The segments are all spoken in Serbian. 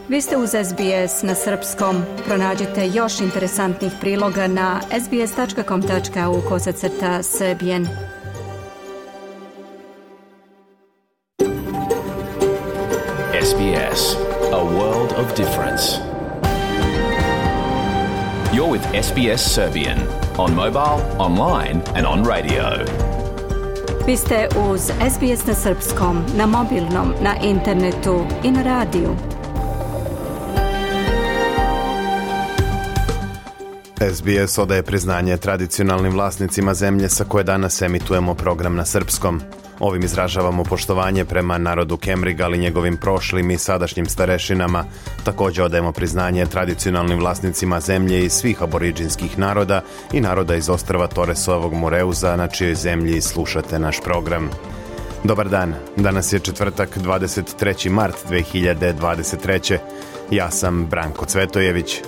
Vi ste uz SBS na srpskom. Pronađite još interesantnih priloga na sbs.com.au/srbijen. SBS, a world of difference. You're with SBS Serbian on mobile, online and on radio. Vi ste uz SBS na srpskom, na mobilnom, na internetu i na radiju. SBS odaje priznanje tradicionalnim vlasnicima zemlje sa koje danas emitujemo program na srpskom. Ovim izražavamo poštovanje prema narodu Kemriga, ali njegovim prošlim i sadašnjim starešinama. Također odajemo priznanje tradicionalnim vlasnicima zemlje i svih aboriđinskih naroda i naroda iz ostrva Torresovog Moreuza, na čijoj zemlji slušate naš program. Dobar dan, danas je četvrtak 23. mart 2023. Ja sam Branko Cvetojević.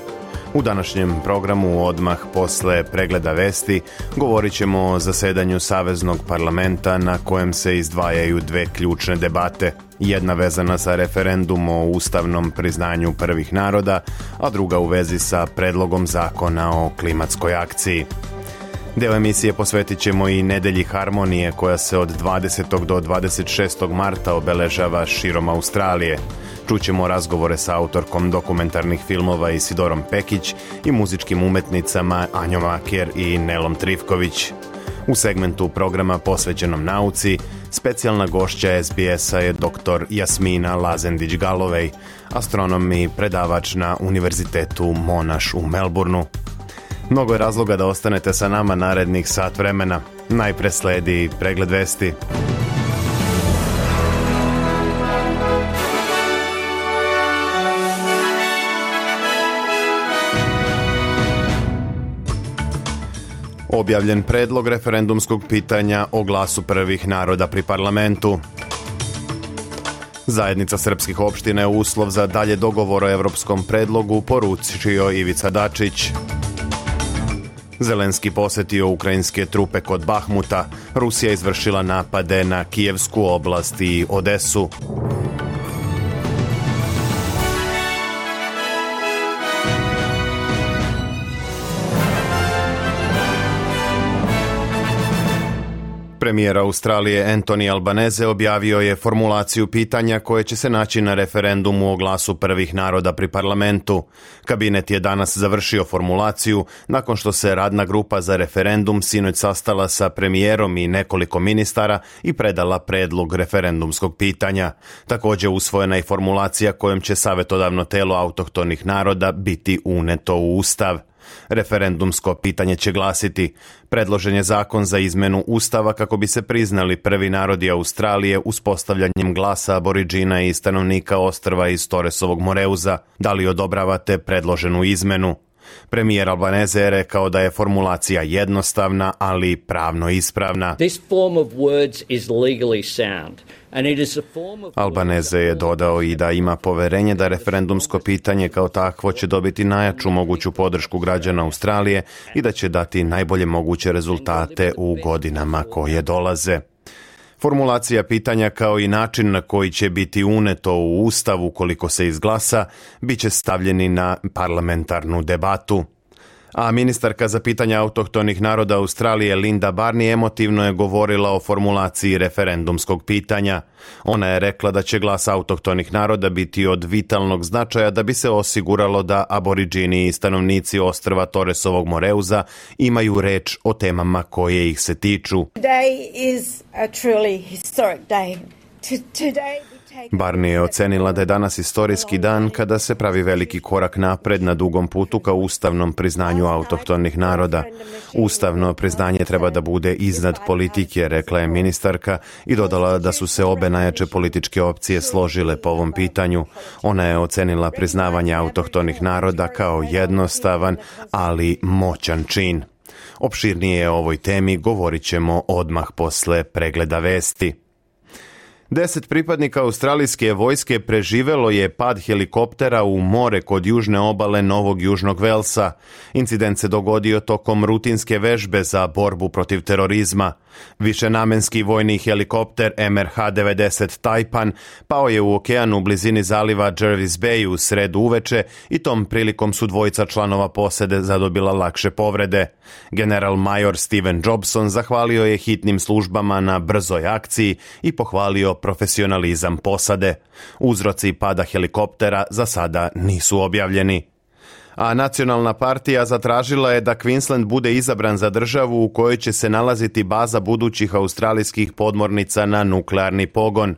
U današnjem programu odmah posle pregleda vesti govorit ćemo o zasedanju Saveznog parlamenta na kojem se izdvajaju dve ključne debate. Jedna vezana sa referendum o ustavnom priznanju prvih naroda, a druga u vezi sa predlogom zakona o klimatskoj akciji. Deo emisije posvetit ćemo i Nedelji harmonije koja se od 20. do 26. marta obeležava širom Australije. Čućemo razgovore sa autorkom dokumentarnih filmova Isidorom Pekić i muzičkim umetnicama Anjom Aker i Nelom Trifković. U segmentu programa posvećenom nauci, specijalna gošća SBS-a je dr. Jasmina Lazendić-Galovej, astronom i predavač na Univerzitetu Monash u Melbourneu. Mnogo je razloga da ostanete sa nama narednih sat vremena. Najpre sledi pregled vesti. Objavljen predlog referendumskog pitanja o glasu prvih naroda pri parlamentu. Zajednica srpskih opština je uslov za dalje dogovor o evropskom predlogu, poručio Ivica Dačić. Zelenski posetio ukrajinske trupe kod Bahmuta. Rusija izvršila napade na Kijevsku oblast i Odesu. Premijer Australije Anthony Albanese objavio je formulaciju pitanja koje će se naći na referendumu o glasu prvih naroda pri parlamentu. Kabinet je danas završio formulaciju nakon što se radna grupa za referendum sinoć sastala sa premijerom i nekoliko ministara i predala predlog referendumskog pitanja. Također usvojena je formulacija kojom će savjetodavno telo autohtonih naroda biti uneto u Ustav. Referendumsko pitanje će glasiti: predložen je zakon za izmenu Ustava kako bi se priznali prvi narodi Australije uspostavljanjem glasa aboriđina i stanovnika ostrva iz Torresovog Moreuza. Da li odobravate predloženu izmenu? Premijer Albanese je rekao da je formulacija jednostavna, ali pravno ispravna. Albanese je dodao i da ima poverenje da referendumsko pitanje kao takvo će dobiti najjaču moguću podršku građana Australije i da će dati najbolje moguće rezultate u godinama koje dolaze. Formulacija pitanja kao i način na koji će biti uneto u Ustav ukoliko se izglasa, bit će stavljeni na parlamentarnu debatu. A ministarka za pitanja autohtonih naroda Australije Linda Barney emotivno je govorila o formulaciji referendumskog pitanja. Ona je rekla da će glas autohtonih naroda biti od vitalnog značaja da bi se osiguralo da aboriđini i stanovnici ostrva Torresovog Moreuza imaju reč o temama koje ih se tiču. Today is a truly historic day. Barney je ocenila da je danas istorijski dan kada se pravi veliki korak napred na dugom putu ka ustavnom priznanju autohtonih naroda. Ustavno priznanje treba da bude iznad politike, rekla je ministarka i dodala da su se obe najjače političke opcije složile po ovom pitanju. Ona je ocenila priznavanje autohtonih naroda kao jednostavan, ali moćan čin. Opširnije o ovoj temi govorit ćemo odmah posle pregleda vesti. 10 pripadnika australijske vojske preživelo je pad helikoptera u more kod južne obale Novog Južnog Velsa. Incident se dogodio tokom rutinske vežbe za borbu protiv terorizma. Višenamenski vojni helikopter MH-90 Taipan pao je u okeanu u blizini zaliva Jervis Bay u sredu uveče i tom prilikom su dvojica članova posade zadobila lakše povrede. General major Steven Jobson zahvalio je hitnim službama na brzoj akciji i pohvalio profesionalizam posade. Uzroci pada helikoptera za sada nisu objavljeni. A Nacionalna partija zatražila je da Queensland bude izabran za državu u kojoj će se nalaziti baza budućih australijskih podmornica na nuklearni pogon.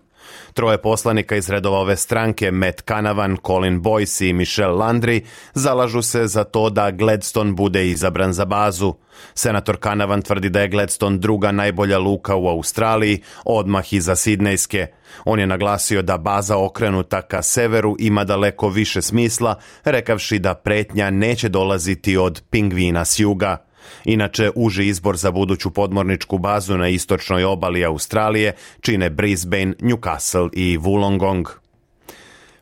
3 poslanika iz redova ove stranke, Matt Canavan, Colin Boyce i Michelle Landry, zalažu se za to da Gladstone bude izabran za bazu. Senator Canavan tvrdi da je Gladstone druga najbolja luka u Australiji, odmah iza Sidnejske. On je naglasio da baza okrenuta ka severu ima daleko više smisla, rekavši da pretnja neće dolaziti od pingvina s juga. Inače, uži izbor za buduću podmorničku bazu na istočnoj obali Australije čine Brisbane, Newcastle i Wollongong.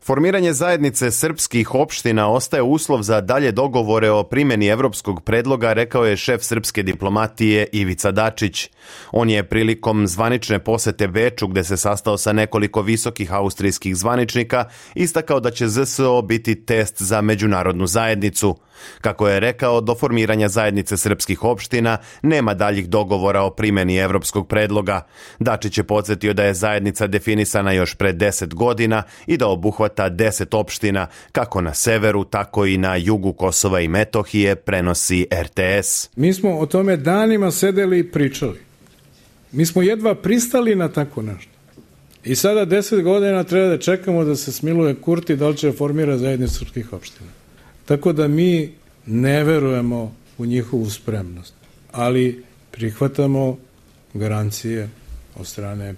Formiranje zajednice srpskih opština ostaje uslov za dalje dogovore o primjeni evropskog predloga, rekao je šef srpske diplomatije Ivica Dačić. On je prilikom zvanične posete Beču, gde se sastao sa nekoliko visokih austrijskih zvaničnika, istakao da će ZSO biti test za međunarodnu zajednicu. Kako je rekao, do formiranja zajednice srpskih opština nema daljih dogovora o primjeni evropskog predloga. Dačić je podsjetio da je zajednica definisana još pre 10 godina i da obuhvata 10 opština, kako na severu, tako i na jugu Kosova i Metohije, prenosi RTS. Mi smo o tome danima sedeli i pričali. Mi smo jedva pristali na tako nešto. I sada 10 godina treba da čekamo da se smiluje Kurti da li će formira zajednicu srpskih opština. Tako da mi ne verujemo u njihovu spremnost, ali prihvatamo garancije od strane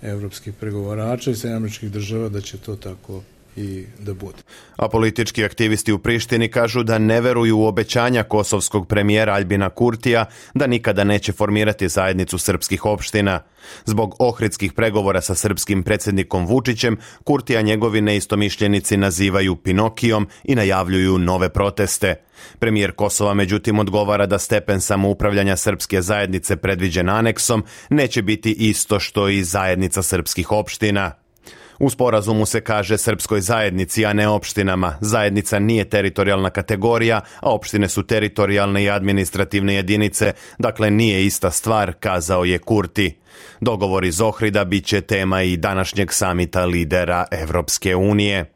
evropskih pregovarača i Sjedinjenih Država da će to tako i da bude. A politički aktivisti u Prištini kažu da ne veruju u obećanja kosovskog premijera Aljbina Kurtija da nikada neće formirati zajednicu srpskih opština. Zbog ohridskih pregovora sa srpskim predsjednikom Vučićem, Kurtija njegovi neistomišljenici nazivaju Pinokijom i najavljuju nove proteste. Premijer Kosova međutim odgovara da stepen samoupravljanja srpske zajednice predviđen aneksom neće biti isto što i zajednica srpskih opština. U sporazumu se kaže srpskoj zajednici, a ne opštinama. Zajednica nije teritorijalna kategorija, a opštine su teritorijalne i administrativne jedinice, dakle nije ista stvar, kazao je Kurti. Dogovor iz Ohrida bit će tema i današnjeg samita lidera Evropske unije.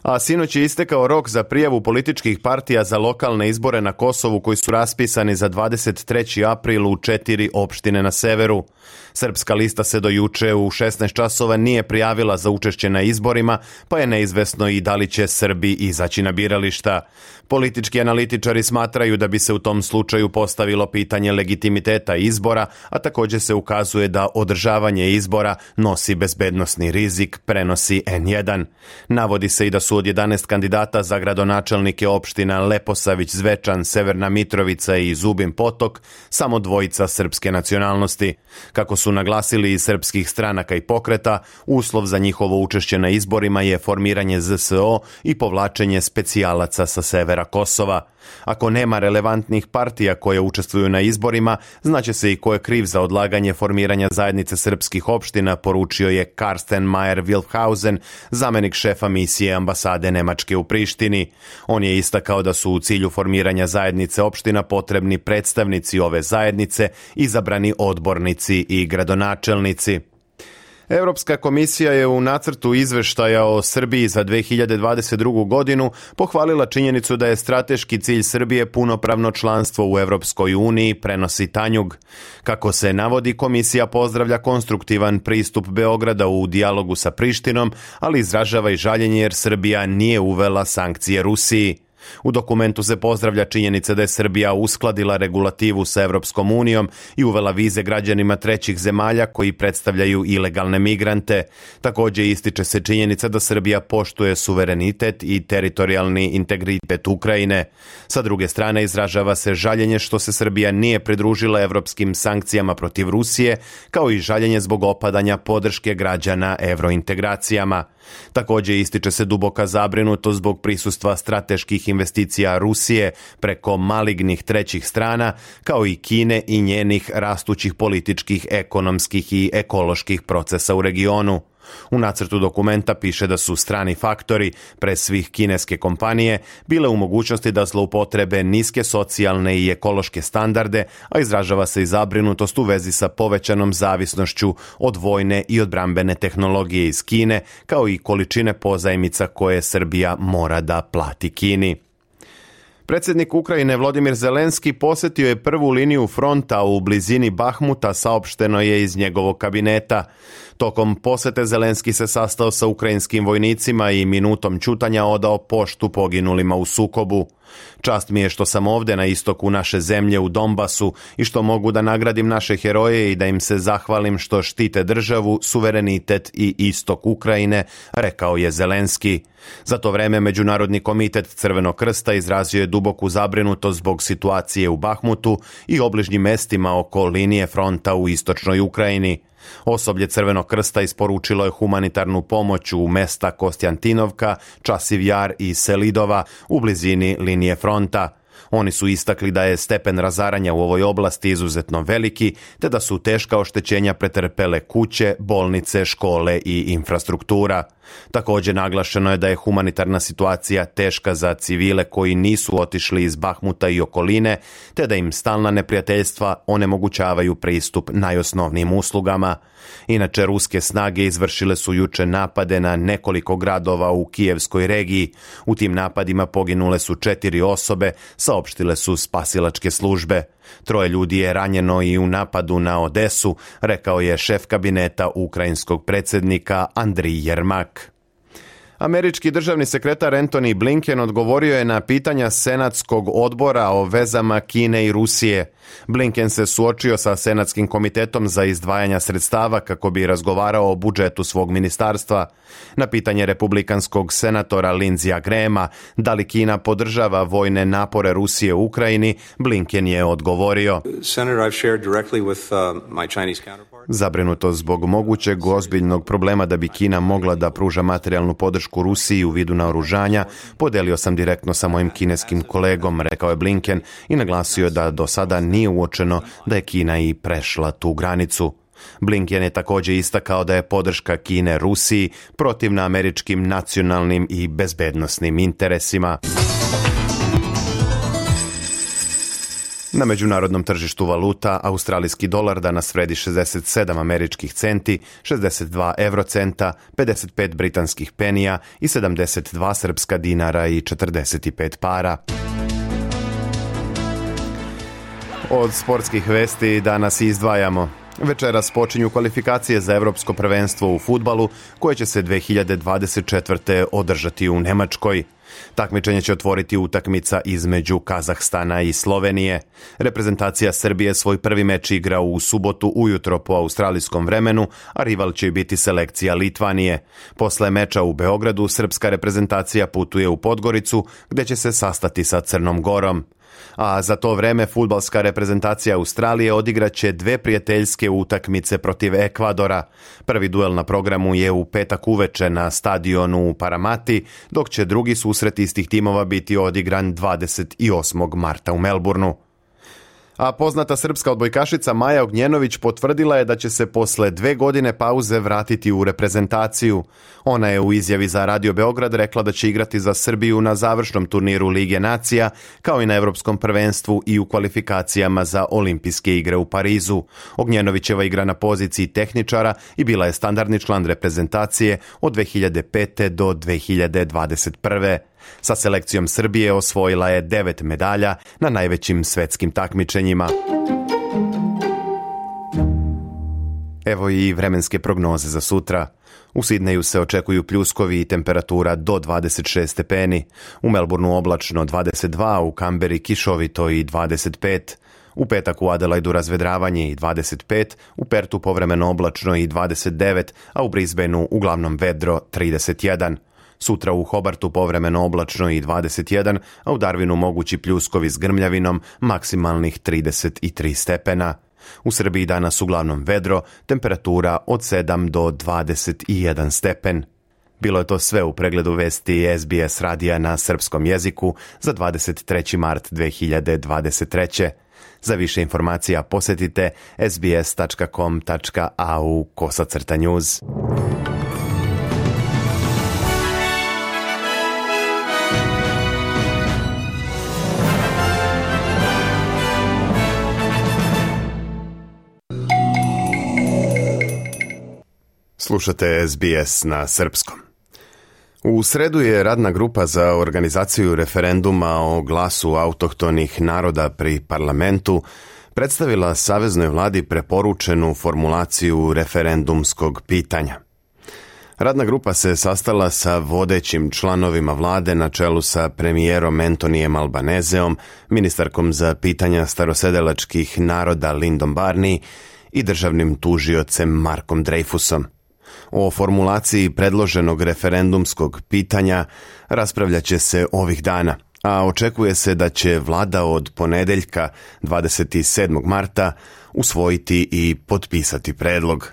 A sinoć je istekao rok za prijavu političkih partija za lokalne izbore na Kosovu koji su raspisani za 23. april u 4 opštine na severu. Srpska lista se do juče u 16 časova nije prijavila za učešće na izborima, pa je neizvesno i da li će Srbi izaći na birališta. Politički analitičari smatraju da bi se u tom slučaju postavilo pitanje legitimiteta izbora, a također se ukazuje da održavanje izbora nosi bezbednosni rizik, prenosi N1. Navodi se i da su od 11 kandidata za gradonačelnike opština Leposavić, Zvečan, Severna Mitrovica i Zubin Potok samo dvojica srpske nacionalnosti. Kako su naglasili iz srpskih stranaka i pokreta, uslov za njihovo učešće na izborima je formiranje ZSO i povlačenje specijalaca sa severa Kosova. Ako nema relevantnih partija koje učestvuju na izborima, znaće se i ko je kriv za odlaganje formiranja zajednice srpskih opština, poručio je Karsten Mayer-Wilfhausen, zamenik šefa misije ambasade Nemačke u Prištini. On je istakao da su u cilju formiranja zajednice opština potrebni predstavnici ove zajednice, izabrani odbornici i gradonačelnici. Europska komisija je u nacrtu izveštaja o Srbiji za 2022. godinu pohvalila činjenicu da je strateški cilj Srbije punopravno članstvo u Europskoj uniji, prenosi Tanjug. Kako se navodi, komisija pozdravlja konstruktivan pristup Beograda u dijalogu sa Prištinom, ali izražava i žaljenje jer Srbija nije uvela sankcije Rusiji. U dokumentu se pozdravlja činjenica da je Srbija uskladila regulativu sa Evropskom unijom i uvela vize građanima trećih zemalja koji predstavljaju ilegalne migrante. Također ističe se činjenica da Srbija poštuje suverenitet i teritorijalni integritet Ukrajine. Sa druge strane izražava se žaljenje što se Srbija nije pridružila evropskim sankcijama protiv Rusije, kao i žaljenje zbog opadanja podrške građana evrointegracijama. Također ističe se duboka zabrinutost zbog prisustva strateških investicija Rusije preko malignih trećih strana, kao i Kine i njenih rastućih političkih, ekonomskih i ekoloških procesa u regionu. U nacrtu dokumenta piše da su strani faktori, pre svih kineske kompanije, bile u mogućnosti da zloupotrebe niske socijalne i ekološke standarde, a izražava se i zabrinutost u vezi sa povećanom zavisnošću od vojne i odbrambene tehnologije iz Kine, kao i količine pozajmica koje Srbija mora da plati Kini. Predsjednik Ukrajine Volodymyr Zelenski posjetio je prvu liniju fronta u blizini Bahmuta, saopšteno je iz njegovog kabineta. Tokom posjete Zelenski se sastao sa ukrajinskim vojnicima i minutom ćutanja odao poštu poginulima u sukobu. Čast mi je što sam ovdje na istoku naše zemlje u Donbasu i što mogu da nagradim naše heroje i da im se zahvalim što štite državu, suverenitet i istok Ukrajine, rekao je Zelenski. Za to vreme Međunarodni komitet Crvenog krsta izrazio je duboku zabrinutost zbog situacije u Bahmutu i obližnjim mestima oko linije fronta u istočnoj Ukrajini. Osoblje Crvenog krsta isporučilo je humanitarnu pomoć u mesta Kostjantinovka, Časiv Jar i Selidova u blizini linije fronta. Oni su istakli da je stepen razaranja u ovoj oblasti izuzetno veliki, te da su teška oštećenja pretrpele kuće, bolnice, škole i infrastruktura. Također naglašeno je da je humanitarna situacija teška za civile koji nisu otišli iz Bahmuta i okoline, te da im stalna neprijateljstva onemogućavaju pristup najosnovnijim uslugama. Inače, ruske snage izvršile su juče napade na nekoliko gradova u Kijevskoj regiji. U tim napadima poginule su 4 osobe, saopštile su spasilačke službe. 3 ljudi je ranjeno i u napadu na Odesu, rekao je šef kabineta ukrajinskog predsjednika Andrij Jermak. Američki državni sekretar Antony Blinken odgovorio je na pitanja Senatskog odbora o vezama Kine i Rusije. Blinken se suočio sa Senatskim komitetom za izdvajanja sredstava kako bi razgovarao o budžetu svog ministarstva. Na pitanje republikanskog senatora Lindseyja Grahama da li Kina podržava vojne napore Rusije u Ukrajini, Blinken je odgovorio: Zabrinutost zbog mogućeg ozbiljnog problema da bi Kina mogla da pruža materijalnu podršku Rusiji u vidu naoružanja podelio sam direktno sa mojim kineskim kolegom, rekao je Blinken i naglasio da do sada nije uočeno da je Kina i prešla tu granicu. Blinken je također istakao da je podrška Kine Rusiji protivna američkim nacionalnim i bezbednosnim interesima. Na međunarodnom tržištu valuta australijski dolar danas vredi 67 američkih centi, 62 eurocenta, 55 britanskih penija i 72 srpska dinara i 45 para. Od sportskih vesti danas izdvajamo: večeras počinju kvalifikacije za Evropsko prvenstvo u fudbalu koje će se 2024. održati u Nemačkoj. Takmičenje će otvoriti utakmica između Kazahstana i Slovenije. Reprezentacija Srbije svoj prvi meč igra u subotu ujutro po australijskom vremenu, a rival će biti selekcija Litvanije. Posle meča u Beogradu srpska reprezentacija putuje u Podgoricu gdje će se sastati sa Crnom Gorom. A za to vreme fudbalska reprezentacija Australije odigraće 2 prijateljske utakmice protiv Ekvadora. Prvi duel na programu je u petak uveče na stadionu u Paramati, dok će drugi susret istih timova biti odigran 28. marta u Melbourneu. A poznata srpska odbojkašica Maja Ognjenović potvrdila je da će se posle 2 godine pauze vratiti u reprezentaciju. Ona je u izjavi za Radio Beograd rekla da će igrati za Srbiju na završnom turniru Lige nacija, kao i na Evropskom prvenstvu i u kvalifikacijama za Olimpijske igre u Parizu. Ognjenovićeva igra na poziciji tehničara i bila je standardni član reprezentacije od 2005. do 2021. Sa selekcijom Srbije osvojila je 9 medalja na najvećim svetskim takmičenjima. Evo i vremenske prognoze za sutra. U Sidneju se očekuju pljuskovi i temperatura do 26 stepeni, u Melbourneu oblačno 22, u Kamberi kišovito i 25, u petak u Adelaidu razvedravanje i 25, u Pertu povremeno oblačno i 29, a u Brisbaneu uglavnom vedro 31. Sutra u Hobartu povremeno oblačno i 21, a u Darwinu mogući pljuskovi s grmljavinom, maksimalnih 33 stepena. U Srbiji danas uglavnom vedro, temperatura od 7 do 21 stepen. Bilo je to sve u pregledu vesti SBS radija na srpskom jeziku za 23. mart 2023. Za više informacija posjetite sbs.com.au/news. Slušate SBS na srpskom. U sredu je radna grupa za organizaciju referenduma o glasu autohtonih naroda pri parlamentu predstavila saveznoj vladi preporučenu formulaciju referendumskog pitanja. Radna grupa se sastala sa vodećim članovima vlade na čelu sa premijerom Antonijem Albanezeom, ministarkom za pitanja starosedelačkih naroda Lindom Barney i državnim tužiocem Markom Dreyfusom. O formulaciji predloženog referendumskog pitanja raspravljat će se ovih dana, a očekuje se da će vlada od ponedeljka 27. marta usvojiti i potpisati predlog.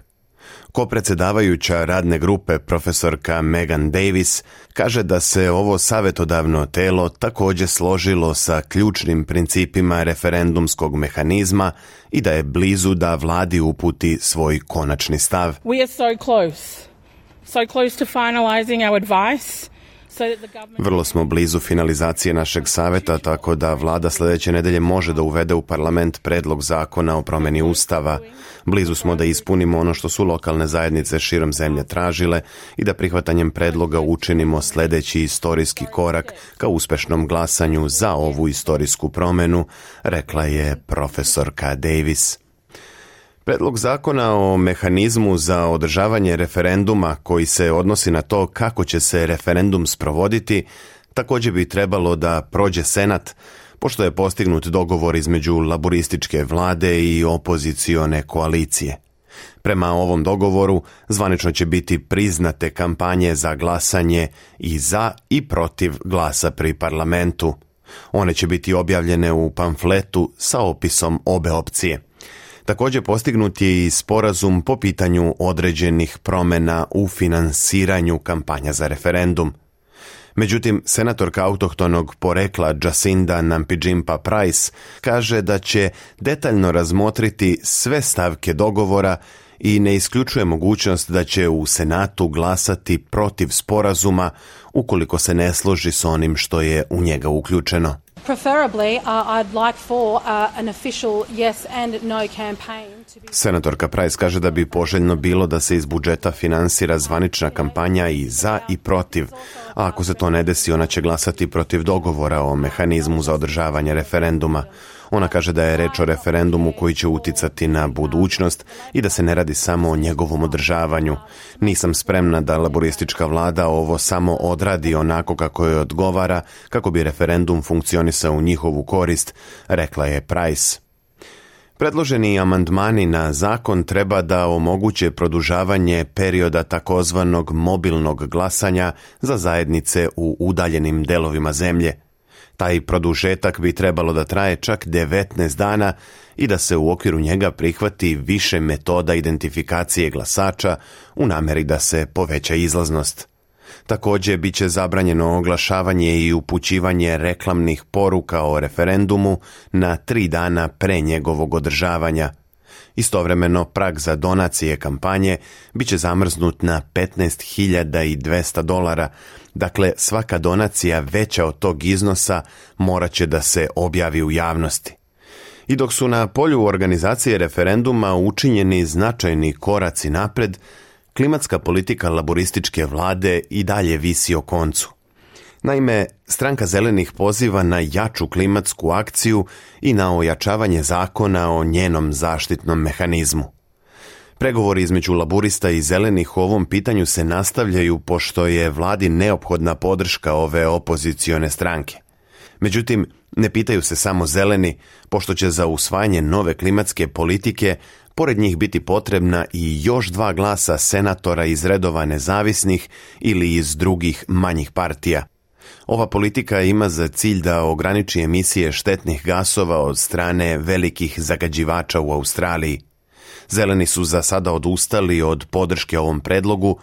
Kopredsjedavajuća radne grupe profesorka Megan Davis kaže da se ovo savjetodavno telo također složilo sa ključnim principima referendumskog mehanizma i da je blizu da vladi uputi svoj konačni stav. We are so close to finalizing our advice. Vrlo smo blizu finalizacije našeg savjeta, tako da vlada sljedeće nedelje može da uvede u parlament predlog zakona o promjeni ustava. Blizu smo da ispunimo ono što su lokalne zajednice širom zemlje tražile i da prihvatanjem predloga učinimo sljedeći istorijski korak ka uspešnom glasanju za ovu istorijsku promjenu, rekla je profesorka Davis. Predlog zakona o mehanizmu za održavanje referenduma koji se odnosi na to kako će se referendum sprovoditi također bi trebalo da prođe Senat, pošto je postignut dogovor između laborističke vlade i opozicione koalicije. Prema ovom dogovoru zvanično će biti priznate kampanje za glasanje i za i protiv glasa pri parlamentu. One će biti objavljene u pamfletu sa opisom obe opcije. Također postignut je i sporazum po pitanju određenih promjena u finansiranju kampanja za referendum. Međutim, senatorka autohtonog porekla Jacinda Nampijinpa Price kaže da će detaljno razmotriti sve stavke dogovora i ne isključuje mogućnost da će u Senatu glasati protiv sporazuma ukoliko se ne složi s onim što je u njega uključeno. Preferably, I'd like for an official yes and no campaign to be... Senatorka Price kaže da bi poželjno bilo da se iz budžeta finansira zvanična kampanja i za i protiv, a ako se to ne desi, ona će glasati protiv dogovora o mehanizmu za održavanje referenduma. Ona kaže da je reč o referendumu koji će uticati na budućnost i da se ne radi samo o njegovom održavanju. Nisam spremna da laboristička vlada ovo samo odradi onako kako joj odgovara, kako bi referendum funkcionisao u njihovu korist, rekla je Price. Predloženi amandmani na zakon treba da omoguće produžavanje perioda takozvanog mobilnog glasanja za zajednice u udaljenim delovima zemlje. Taj produžetak bi trebalo da traje čak 19 dana i da se u okviru njega prihvati više metoda identifikacije glasača u nameri da se poveća izlaznost. Također bit će zabranjeno oglašavanje i upućivanje reklamnih poruka o referendumu na 3 dana pre njegovog održavanja. Istovremeno, prag za donacije kampanje bit će zamrznut na $15.200, dakle svaka donacija veća od tog iznosa morat će da se objavi u javnosti. I dok su na polju organizacije referenduma učinjeni značajni koraci napred, klimatska politika laborističke vlade i dalje visi o koncu. Naime, stranka zelenih poziva na jaču klimatsku akciju i na ojačavanje zakona o njenom zaštitnom mehanizmu. Pregovori između laburista i zelenih u ovom pitanju se nastavljaju pošto je vladi neophodna podrška ove opozicione stranke. Međutim, ne pitaju se samo zeleni, pošto će za usvajanje nove klimatske politike pored njih biti potrebna i još 2 glasa senatora iz redova nezavisnih ili iz drugih manjih partija. Ova politika ima za cilj da ograniči emisije štetnih gasova od strane velikih zagađivača u Australiji. Zeleni su za sada odustali od podrške ovom predlogu,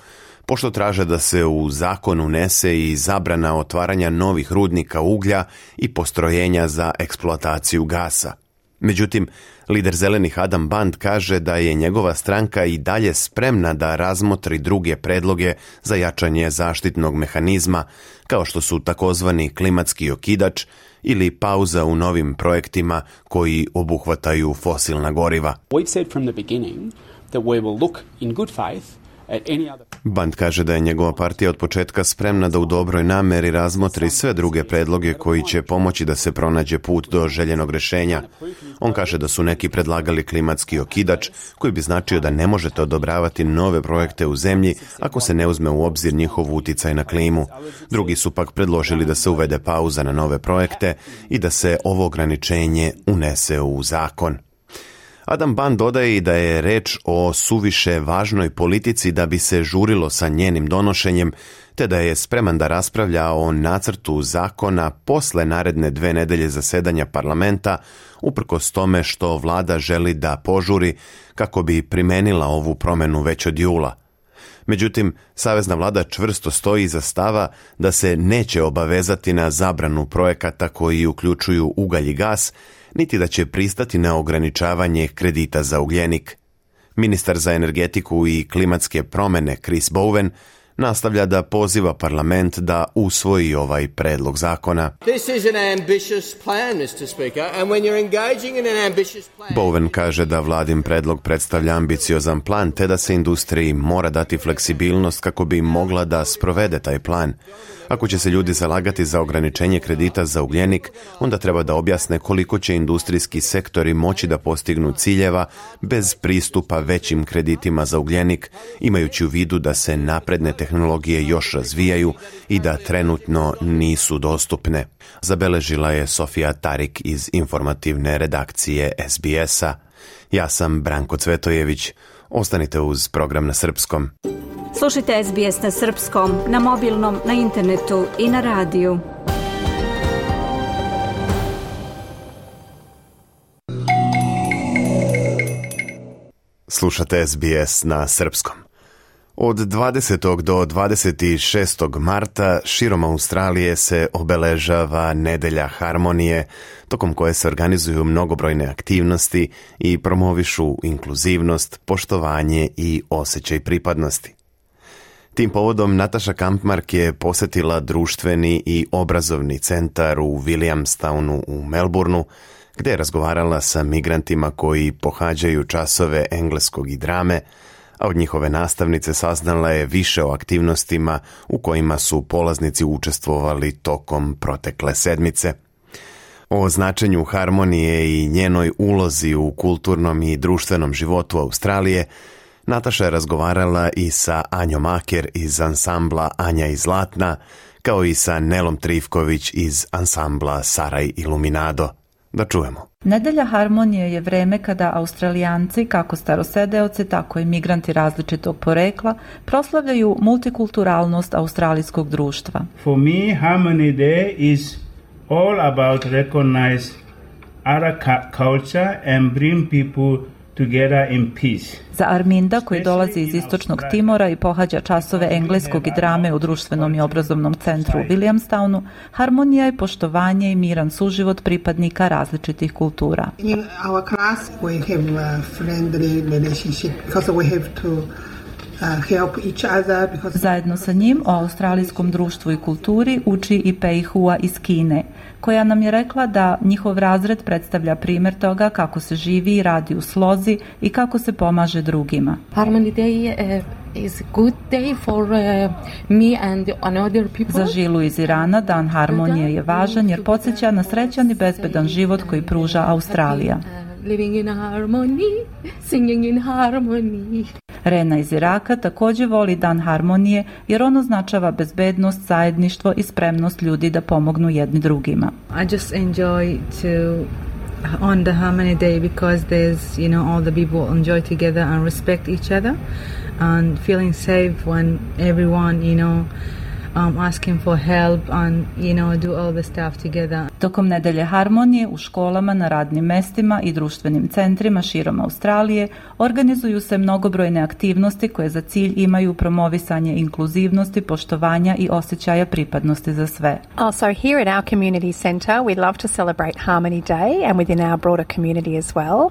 pošto traže da se u zakon unese i zabrana otvaranja novih rudnika uglja i postrojenja za eksploataciju gasa. Međutim, lider zelenih Adam Band kaže da je njegova stranka i dalje spremna da razmotri druge predloge za jačanje zaštitnog mehanizma, kao što su takozvani klimatski okidač ili pauza u novim projektima koji obuhvataju fosilna goriva. We've said from the beginning that we will look in good faith. Band kaže da je njegova partija od početka spremna da u dobroj nameri razmotri sve druge predloge koji će pomoći da se pronađe put do željenog rješenja. On kaže da su neki predlagali klimatski okidač, koji bi značio da ne možete odobravati nove projekte u zemlji ako se ne uzme u obzir njihov uticaj na klimu. Drugi su pak predložili da se uvede pauza na nove projekte i da se ovo ograničenje unese u zakon. Adam Band dodaje i da je reč o suviše važnoj politici da bi se žurilo sa njenim donošenjem, te da je spreman da raspravlja o nacrtu zakona posle naredne 2 nedelje zasedanja parlamenta, uprkos tome što vlada želi da požuri kako bi primenila ovu promenu već od jula. Međutim, savezna vlada čvrsto stoji iza stava da se neće obavezati na zabranu projekata koji uključuju ugalj i gas, niti da će pristati na ograničavanje kredita za ugljenik. Ministar za energetiku i klimatske promjene Chris Bowen nastavlja da poziva parlament da usvoji ovaj predlog zakona. Bowen kaže da vladin predlog predstavlja ambiciozan plan, te da se industriji mora dati fleksibilnost kako bi mogla da sprovede taj plan. Ako će se ljudi zalagati za ograničenje kredita za ugljenik, onda treba da objasne koliko će industrijski sektori moći da postignu ciljeva bez pristupa većim kreditima za ugljenik, imajući u vidu da se napredne tehnologije još razvijaju i da trenutno nisu dostupne. Zabeležila je Sofija Tarik iz informativne redakcije SBS-a. Ja sam Branko Cvetojević. Ostanite uz program na srpskom. Slušajte SBS na srpskom, na mobilnom, na internetu i na radiju. Slušate SBS na srpskom. Od 20. do 26. marta širom Australije se obeležava Nedelja harmonije, tokom koje se organizuju mnogobrojne aktivnosti i promovišu inkluzivnost, poštovanje i osjećaj pripadnosti. Tim povodom Nataša Kampmark je posjetila društveni i obrazovni centar u Williamstownu u Melbourneu, gdje je razgovarala sa migrantima koji pohađaju časove engleskog i drame, a od njihove nastavnice saznala je više o aktivnostima u kojima su polaznici učestvovali tokom protekle sedmice. O značenju harmonije i njenoj ulozi u kulturnom i društvenom životu Australije Nataša je razgovarala i sa Anjom Aker iz ansambla Anja i Zlatna, kao i sa Nelom Trivković iz ansambla Saraj Iluminado. Da čujemo. Nedelja harmonije je vreme kada Australijanci, kako starosedeoci, tako i migranti različitog porekla, proslavljaju multikulturalnost australijskog društva. For me, Harmony Day is all about recognize other culture and bring people together in peace. Za Arminda, koji dolazi iz istočnog Timora i pohađa časove engleskog i drame u društvenom i obrazovnom centru u Williamstownu, harmonija je poštovanje i miran suživot pripadnika različitih kultura. In our class we have a friendly relationship because we have to help each other because... Zajedno sa njim o australijskom društvu i kulturi uči i Pei Hua iz Kine, koja nam je rekla da njihov razred predstavlja primjer toga kako se živi i radi u slozi i kako se pomaže drugima. Harmony Day is a good day for me and other people. Za Žilu iz Irana Dan harmonije je važan jer podsjeća na srećan i bezbedan život koji pruža Australija. living in harmony, singing in harmony. Rena iz Iraka također voli Dan harmonije jer on označava bezbednost, zajedništvo i spremnost ljudi da pomognu jedni drugima. I just enjoy to on the Harmony Day because there's, you know, all the people enjoy together and respect each other and feeling safe when everyone, you know, asking for help and, you know, do all the stuff together. Tokom nedelje harmonije u školama, na radnim mestima i društvenim centrima širom Australije organizuju se mnogobrojne aktivnosti koje za cilj imaju promovisanje inkluzivnosti, poštovanja i osjećaja pripadnosti za sve. Also here at our community centre we love to celebrate Harmony Day and within our broader community as well.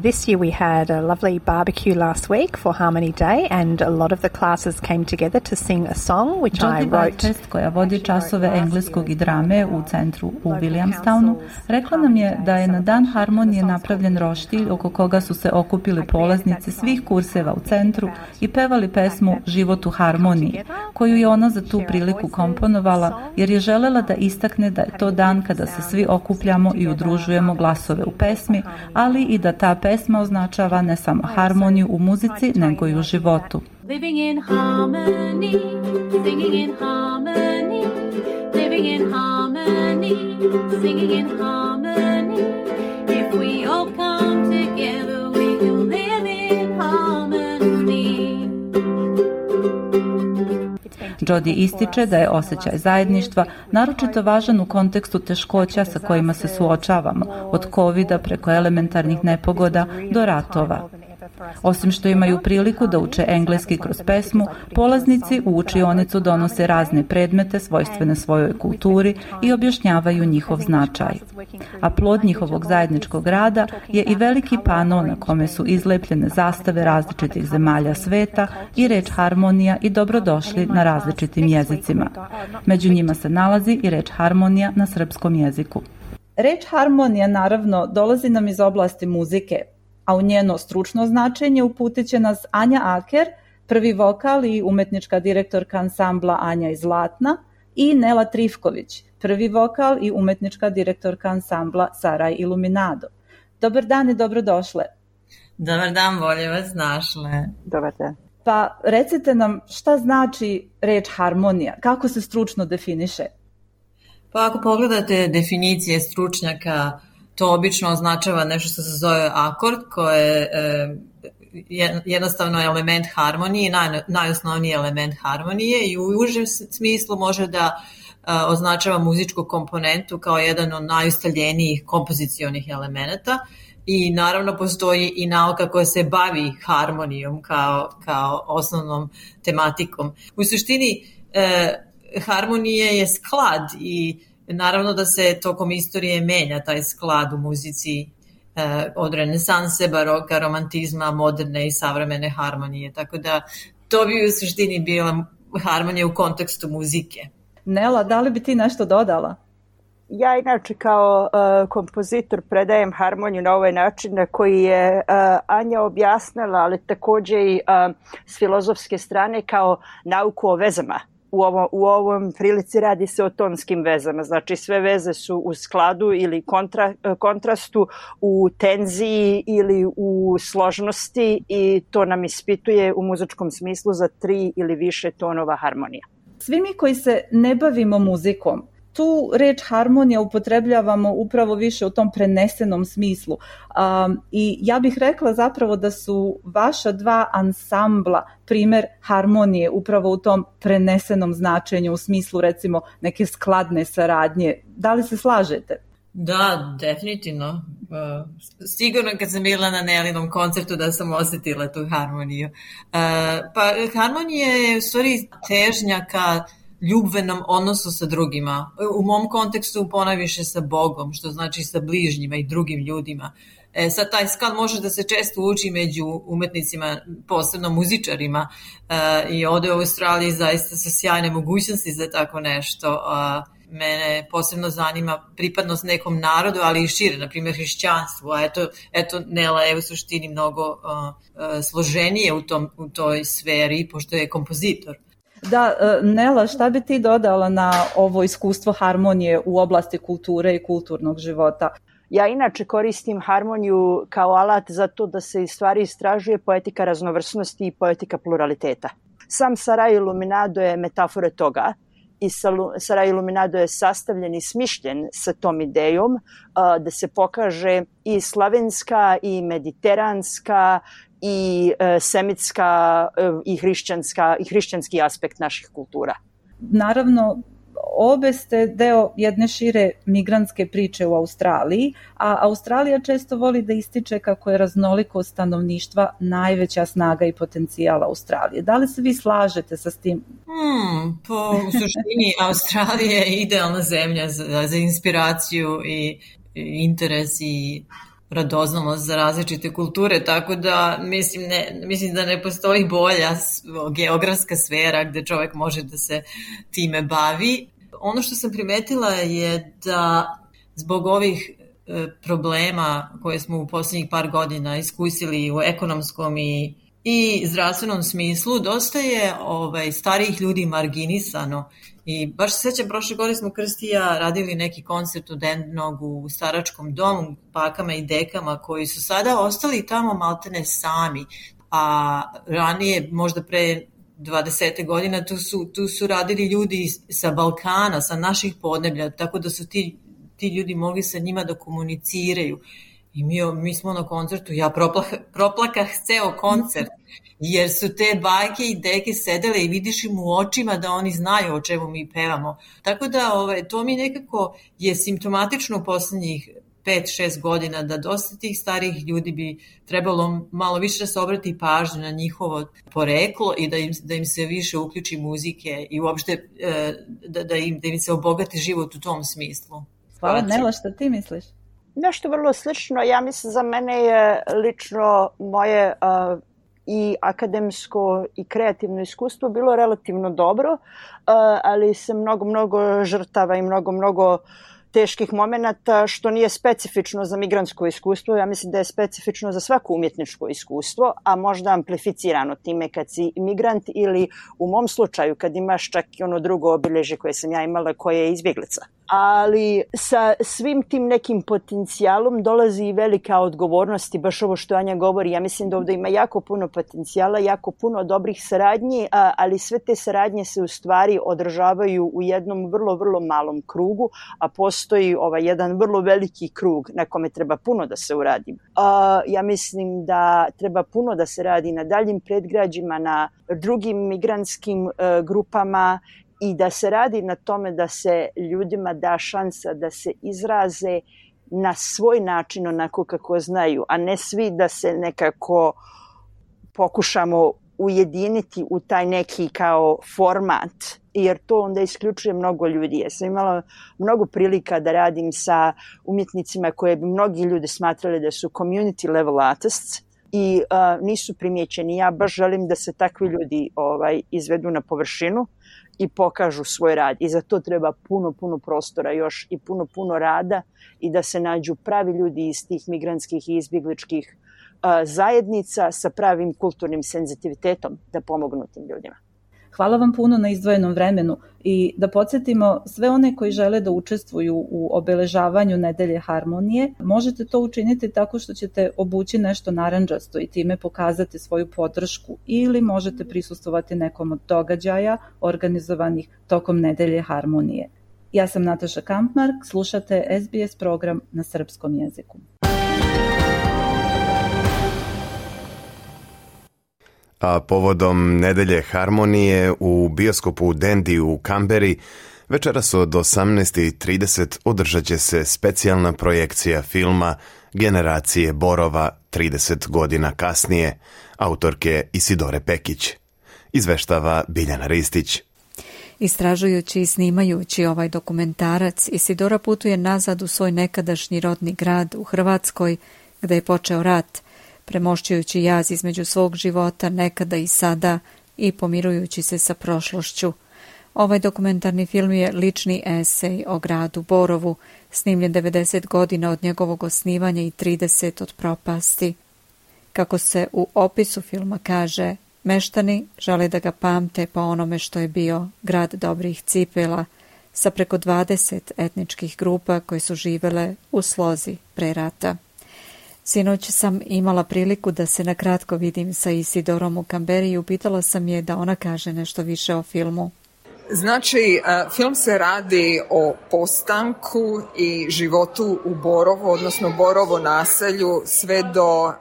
This year we had a lovely barbecue last week for Harmony Day and a lot of the classes came together to sing a song which I wrote. Jodie, koja vodi časove engleskog i drame u centru u Williamstownu, rekla nam je da je na Dan harmonije napravljen roštilj oko koga su se okupili polaznici svih kurseva u centru i pevali pesmu Život u harmoniji, koju je ona za tu priliku komponovala jer je želela da istakne da je to dan kada se svi okupljamo i udružujemo glasove u pesmi, ali i da ta pesma označava ne samo harmoniju u muzici, nego i u životu. Living in harmony, singing in harmony, living in harmony, singing in harmony. If we all come together, we can live in harmony. Jodie ističe da je osjećaj zajedništva naročito važan u kontekstu teškoća sa kojima se suočavamo, od covida preko elementarnih nepogoda do ratova. Osim što imaju priliku da uče engleski kroz pesmu, polaznici u učionicu donose razne predmete svojstvene svojoj kulturi i objašnjavaju njihov značaj. A plod njihovog zajedničkog rada je i veliki pano na kome su izlepljene zastave različitih zemalja sveta i reč harmonija i dobrodošli na različitim jezicima. Među njima se nalazi i reč harmonija na srpskom jeziku. Reč harmonija naravno dolazi nam iz oblasti muzike, a u njeno stručno značenje uputit će nas Anja Aker, prvi vokal i umetnička direktorka ansambla Anja iz Zlatna, i Nela Trifković, prvi vokal i umetnička direktorka ansambla Saraj Iluminado. Dobar dan i dobrodošle. Dobar dan, bolje vas našle. Dobar dan. Pa recite nam šta znači reč harmonija, kako se stručno definiše? Pa ako pogledate definicije stručnjaka, to obično označava nešto što se zove akord, koje je jednostavno element harmonije, najosnovniji element harmonije i u užem smislu može da označava muzičku komponentu kao jedan od najustaljenijih kompozicionih elemenata i naravno postoji i nauka koja se bavi harmonijom kao osnovnom tematikom. U suštini harmonije je sklad i naravno da se tokom istorije menja taj sklad u muzici od renesanse, baroka, romantizma, moderne i savremene harmonije. Tako da to bi u suštini bila harmonija u kontekstu muzike. Nela, da li bi ti nešto dodala? Ja inače kao kompozitor predajem harmoniju na ovaj način na koji je Anja objasnila, ali također i s filozofske strane kao nauku o vezama. U ovom prilici radi se o tonskim vezama, znači sve veze su u skladu ili kontrastu, u tenziji ili u složnosti i to nam ispituje u muzičkom smislu za 3 ili više tonova harmonija. Svi mi koji se ne bavimo muzikom, tu reč harmonija upotrebljavamo upravo više u tom prenesenom smislu. I ja bih rekla zapravo da su vaša dva ansambla primer harmonije upravo u tom prenesenom značenju, u smislu recimo neke skladne saradnje. Da li se slažete? Da, definitivno. Sigurno kad sam bila na Nelinom koncertu da sam osjetila tu harmoniju. Pa harmonija je u stvari težnja ka ljubvenom odnosu sa drugima. U mom kontekstu ponajviše sa Bogom, što znači sa bližnjima i drugim ljudima. Sad taj sklad može da se često uči među umetnicima, posebno muzičarima, i ovdje u Australiji zaista su sjajne mogućnosti za tako nešto. Mene posebno zanima pripadnost nekom narodu, ali i šire, na primjer hrišćanstvu, a eto Nela je u suštini mnogo složenije u toj sferi, pošto je kompozitor. Da, Nela, šta bi ti dodala na ovo iskustvo harmonije u oblasti kulture i kulturnog života? Ja inače koristim harmoniju kao alat za to da se stvari istražuje poetika raznovrsnosti i poetika pluraliteta. Sam Saraj Iluminado je metafora toga i Saraj Iluminado je sastavljen i smišljen sa tom idejom da se pokaže i slavenska i mediteranska i semitska i hrišćanski aspekt naših kultura. Naravno, obe ste deo jedne šire migrantske priče u Australiji, a Australija često voli da ističe kako je raznolikost stanovništva najveća snaga i potencijal Australije. Da li se vi slažete sa tim? Po suštini Australija je idealna zemlja za inspiraciju i interes i radoznalost za različite kulture, tako da mislim da ne postoji bolja geografska sfera gde čovek može da se time bavi. Ono što sam primetila je da zbog ovih problema koje smo u posljednjih par godina iskusili u ekonomskom i zdravstvenom smislu, dosta je starijih ljudi marginisano. I baš se sećam, prošle godine smo Krsti i ja radili neki koncert od Endnog u staračkom domu, bakama i dekama koji su sada ostali tamo maltene sami, a ranije, možda pre 20 godina, tu su radili ljudi sa Balkana, sa naših podneblja, tako da su ti ljudi mogli sa njima da komuniciraju. I mi smo na koncertu, ja proplakah ceo koncert, jer su te bajke i deke sedele i vidiš im u očima da oni znaju o čemu mi pevamo. Tako da to mi nekako je simptomatično u poslednjih 5-6 godina, da dosta tih starijih ljudi bi trebalo malo više da se obrati pažnju na njihovo poreklo i da im se više uključi muzike i uopšte da im se obogati život u tom smislu. Hvala, Nela, šta ti misliš? Nešto vrlo slično. Ja mislim, za mene je lično moje i akademsko i kreativno iskustvo bilo relativno dobro, ali se mnogo žrtava i mnogo teških momenata, što nije specifično za migrantsko iskustvo. Ja mislim da je specifično za svako umjetničko iskustvo, a možda amplificirano time kad si migrant ili u mom slučaju kad imaš čak i ono drugo obilježje koje sam ja imala, koje je izbjeglica. Ali sa svim tim nekim potencijalom dolazi i velika odgovornost i baš ovo što Anja govori. Ja mislim da ovdje ima jako puno potencijala, jako puno dobrih saradnji, ali sve te saradnje se u stvari održavaju u jednom vrlo malom krugu, a postoji jedan vrlo veliki krug na kome treba puno da se uradi. Ja mislim da treba puno da se radi na daljim predgrađima, na drugim migrantskim grupama, i da se radi na tome da se ljudima da šansa da se izraze na svoj način onako kako znaju, a ne svi da se nekako pokušamo ujediniti u taj neki kao format, jer to onda isključuje mnogo ljudi. Ja sam imala mnogo prilika da radim sa umjetnicima koje bi mnogi ljudi smatrali da su community level artists i nisu primjećeni. Ja baš želim da se takvi ljudi izvedu na površinu i pokažu svoj rad. I za to treba puno prostora još i puno rada i da se nađu pravi ljudi iz tih migrantskih i izbjegličkih zajednica sa pravim kulturnim senzitivitetom da pomognu tim ljudima. Hvala vam puno na izdvojenom vremenu i da podsjetimo sve one koji žele da učestvuju u obeležavanju Nedelje harmonije, možete to učiniti tako što ćete obući nešto narandžasto i time pokazati svoju podršku, ili možete prisustvovati nekom od događaja organizovanih tokom Nedelje harmonije. Ja sam Nataša Kampmark, slušate SBS program na srpskom jeziku. A povodom Nedelje harmonije u bioskopu Dandy u Kamberi večeras od 18:30 održat će se specijalna projekcija filma Generacije Borova 30 godina kasnije, autorke Isidore Pekić. Izveštava Biljana Ristić. Istražujući i snimajući ovaj dokumentarac, Isidora putuje nazad u svoj nekadašnji rodni grad u Hrvatskoj, gde je počeo rat, premošćujući jaz između svog života nekada i sada i pomirujući se sa prošlošću. Ovaj dokumentarni film je lični esej o gradu Borovu, snimljen 90 godina od njegovog osnivanja i 30 od propasti. Kako se u opisu filma kaže, meštani žele da ga pamte po onome što je bio grad dobrih cipela, sa preko 20 etničkih grupa koje su živele u slozi pre rata. Sinoć sam imala priliku da se na kratko vidim sa Isidorom u Kamberi i upitala sam je da ona kaže nešto više o filmu. Znači, film se radi o postanku i životu u Borovu, odnosno Borovo naselju sve do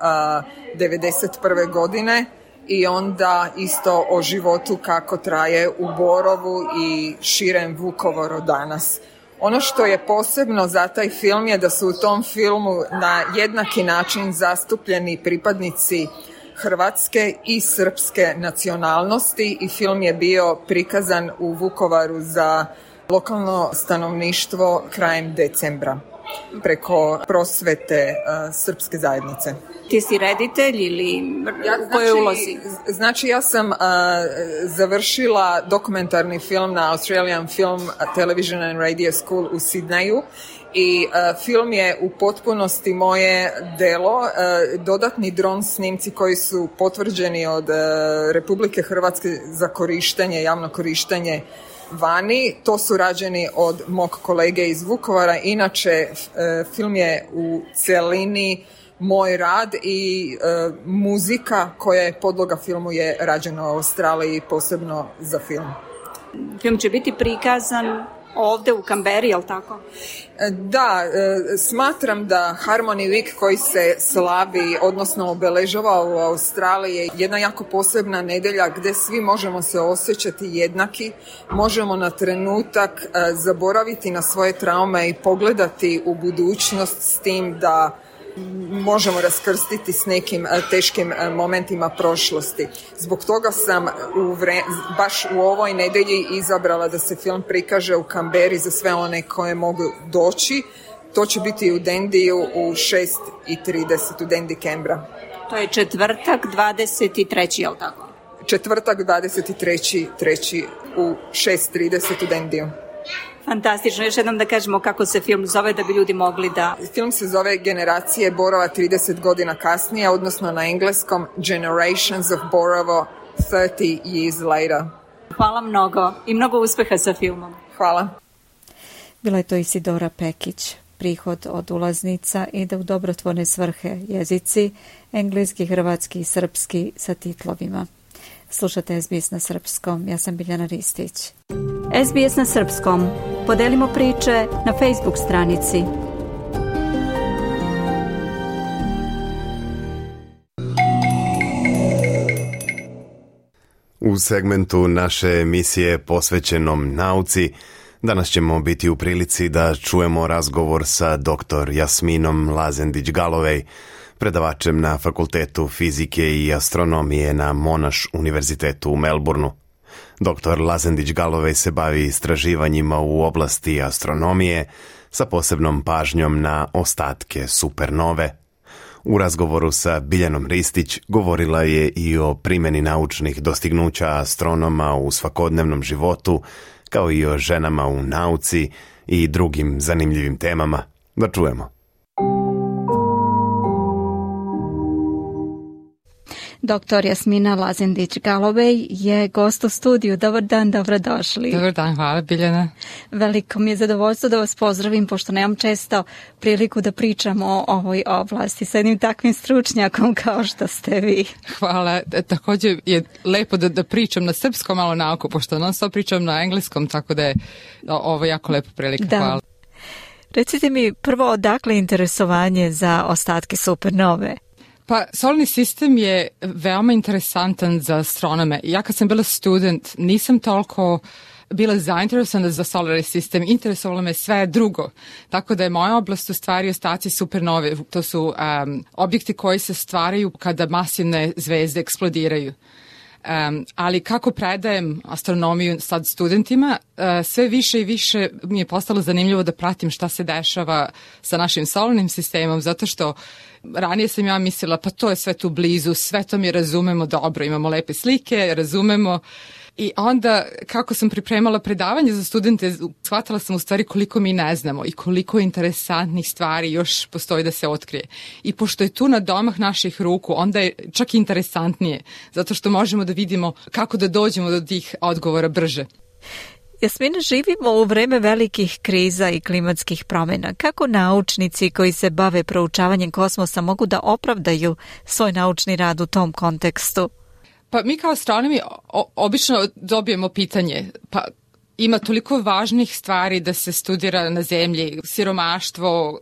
1991. godine i onda isto o životu kako traje u Borovu i širem Vukovaru danas. Ono što je posebno za taj film je da su u tom filmu na jednaki način zastupljeni pripadnici hrvatske i srpske nacionalnosti i film je bio prikazan u Vukovaru za lokalno stanovništvo krajem decembra preko prosvete srpske zajednice. Ti si reditelj ili u kojoj ulozi? Znači ja sam završila dokumentarni film na Australian Film Television and Radio School u Sidneju i film je u potpunosti moje delo. Dodatni dron snimci koji su potvrđeni od Republike Hrvatske za korištenje, javno korištenje vani, to su rađeni od mog kolege iz Vukovara. Inače, film je u celini moj rad i muzika koja je podloga filmu je rađena u Australiji posebno za film. Film će biti prikazan ovde u Kamberi, je li tako? Da, smatram da Harmony Week koji se slavi, odnosno obeležava u Australiji je jedna jako posebna nedelja gdje svi možemo se osjećati jednaki, možemo na trenutak zaboraviti na svoje traume i pogledati u budućnost s tim da možemo raskrstiti s nekim teškim momentima prošlosti. Zbog toga sam baš u ovoj nedelji izabrala da se film prikaže u Kamberi za sve one koje mogu doći. To će biti u Dendiju u 6:30 u Dendi Canberra. To je četvrtak 23. je li tako? Četvrtak 23. u 6:30 u Dendiju. Fantastično. Još jednom da kažemo kako se film zove da bi ljudi mogli da... Film se zove Generacije Borova 30 godina kasnije, odnosno na engleskom Generations of Borovo 30 years later. Hvala mnogo i mnogo uspeha sa filmom. Hvala. Bila je to Isidora Pekić. Prihod od ulaznica ide u dobrotvorne svrhe jezici, engleski, hrvatski i srpski sa titlovima. Slušate SBS na srpskom. Ja sam Biljana Ristić. SBS na srpskom. Podelimo priče na Facebook stranici. U segmentu naše emisije posvećenom nauci danas ćemo biti u prilici da čujemo razgovor sa dr. Jasminom Lazendić-Galovej, predavačem na Fakultetu fizike i astronomije na Monash univerzitetu u Melbourneu. Dr. Lazendić-Galovej se bavi istraživanjima u oblasti astronomije sa posebnom pažnjom na ostatke supernove. U razgovoru sa Biljanom Ristić govorila je i o primjeni naučnih dostignuća astronoma u svakodnevnom životu, kao i o ženama u nauci i drugim zanimljivim temama. Da čujemo. Dr. Jasmina Lazendić-Galovej je gost u studiju. Dobar dan, dobrodošli. Dobar dan, hvala Biljana. Veliko mi je zadovoljstvo da vas pozdravim, pošto nemam često priliku da pričam o ovoj oblasti sa jednim takvim stručnjakom kao što ste vi. Hvala. Također je lepo da pričam na srpskom malo nauku, pošto non stop pričam na engleskom, tako da je ovo jako lepa prilika. Da. Hvala. Recite mi prvo odakle interesovanje za ostatke supernove? Pa, solarni sistem je veoma interesantan za astronome. Ja kad sam bila student nisam toliko bila zainteresovana za solarni sistem, interesovalo me sve drugo. Tako da je moja oblast u stvari ostaci supernove. To su objekti koji se stvaraju kada masivne zvezde eksplodiraju. Ali kako predajem astronomiju sad studentima, sve više i više mi je postalo zanimljivo da pratim šta se dešava sa našim solarnim sistemom, zato što ranije sam ja mislila pa to je sve tu blizu, sve to mi razumemo dobro, imamo lepe slike, razumemo. I onda kako sam pripremala predavanje za studente, shvatila sam u stvari koliko mi ne znamo i koliko interesantnih stvari još postoji da se otkrije. I pošto je tu na domah naših ruku, onda je čak interesantnije, zato što možemo da vidimo kako da dođemo do tih odgovora brže. Jasmina, živimo u vreme velikih kriza i klimatskih promjena. Kako naučnici koji se bave proučavanjem kosmosa mogu da opravdaju svoj naučni rad u tom kontekstu? Pa mi kao astronomi obično dobijemo pitanje, pa ima toliko važnih stvari da se studira na zemlji, siromaštvo,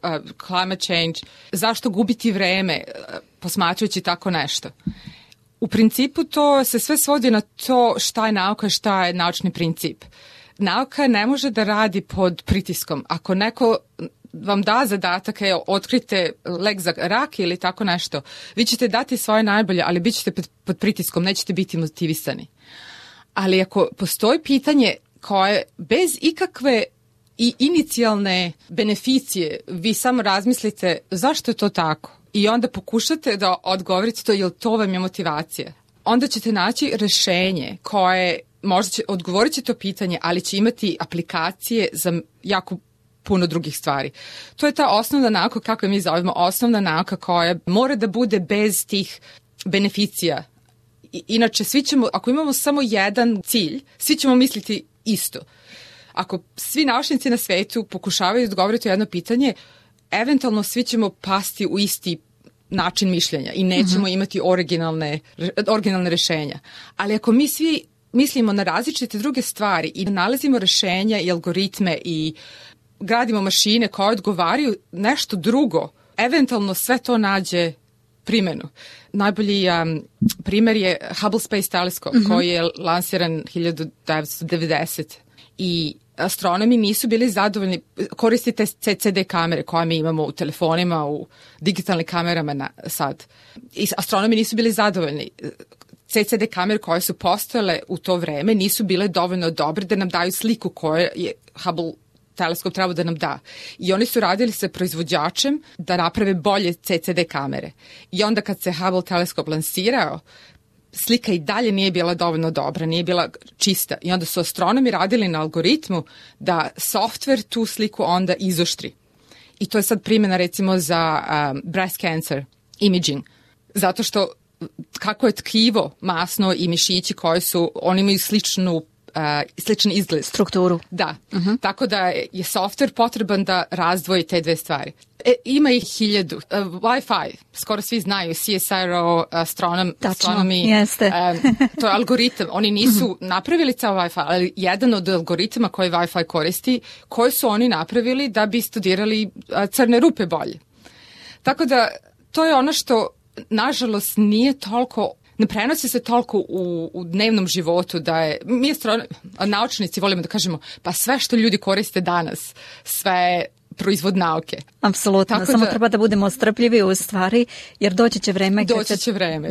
climate change, zašto gubiti vreme posmatrajući tako nešto? U principu to se sve svodi na to šta je nauka i šta je naučni princip. Nauka ne može da radi pod pritiskom. Ako neko vam da zadatak, otkrite lek za rak ili tako nešto, vi ćete dati svoje najbolje, ali bit ćete pod pritiskom, nećete biti motivisani. Ali ako postoji pitanje koje bez ikakve i inicijalne beneficije, vi samo razmislite zašto je to tako i onda pokušate da odgovorite to, jel to vam je motivacija. Onda ćete naći rešenje koje možda će odgovoriti to pitanje, ali će imati aplikacije za jako puno drugih stvari. To je ta osnovna nauka, kako je mi zovemo, osnovna nauka koja mora da bude bez tih beneficija. Inače, svi ćemo, ako imamo samo jedan cilj, svi ćemo misliti isto. Ako svi naučnici na svetu pokušavaju odgovoriti jedno pitanje, eventualno svi ćemo pasti u isti način mišljenja i nećemo imati originalne rešenja. Ali ako mi svi mislimo na različite druge stvari i nalazimo rešenja i algoritme i gradimo mašine koje odgovaraju nešto drugo, eventualno sve to nađe primjenu. Najbolji primjer je Hubble Space Telescope koji je lansiran 1990 i astronomi nisu bili zadovoljni, koristite CCD kamere koje mi imamo u telefonima, u digitalnim kamerama sad. I astronomi nisu bili zadovoljni. CCD kamere koje su postojale u to vreme nisu bile dovoljno dobre da nam daju sliku koju je Hubble teleskop trebao da nam da. I oni su radili sa proizvođačem da naprave bolje CCD kamere. I onda kad se Hubble teleskop lansirao, slika i dalje nije bila dovoljno dobra, nije bila čista. I onda su astronomi radili na algoritmu da softver tu sliku onda izoštri. I to je sad primjena recimo za breast cancer imaging. Zato što kako je tkivo masno i mišići koji su, oni imaju sličan izgled. Strukturu. Da. Tako da je softver potreban da razdvoji te dve stvari. Ima ih 1000. Wi-Fi, skoro svi znaju, CSIRO, astronomi. Jeste. To je algoritam. Oni nisu napravili ceo Wi-Fi, ali jedan od algoritama koji Wi-Fi koristi, koji su oni napravili da bi studirali crne rupe bolje. Tako da to je ono što nažalost nije toliko, ne prenosi se toliko u dnevnom životu da je, mi naučnici volimo da kažemo, pa sve što ljudi koriste danas, sve je proizvod nauke. Apsolutno, samo treba da budemo strpljivi u stvari, jer doći će vreme kad će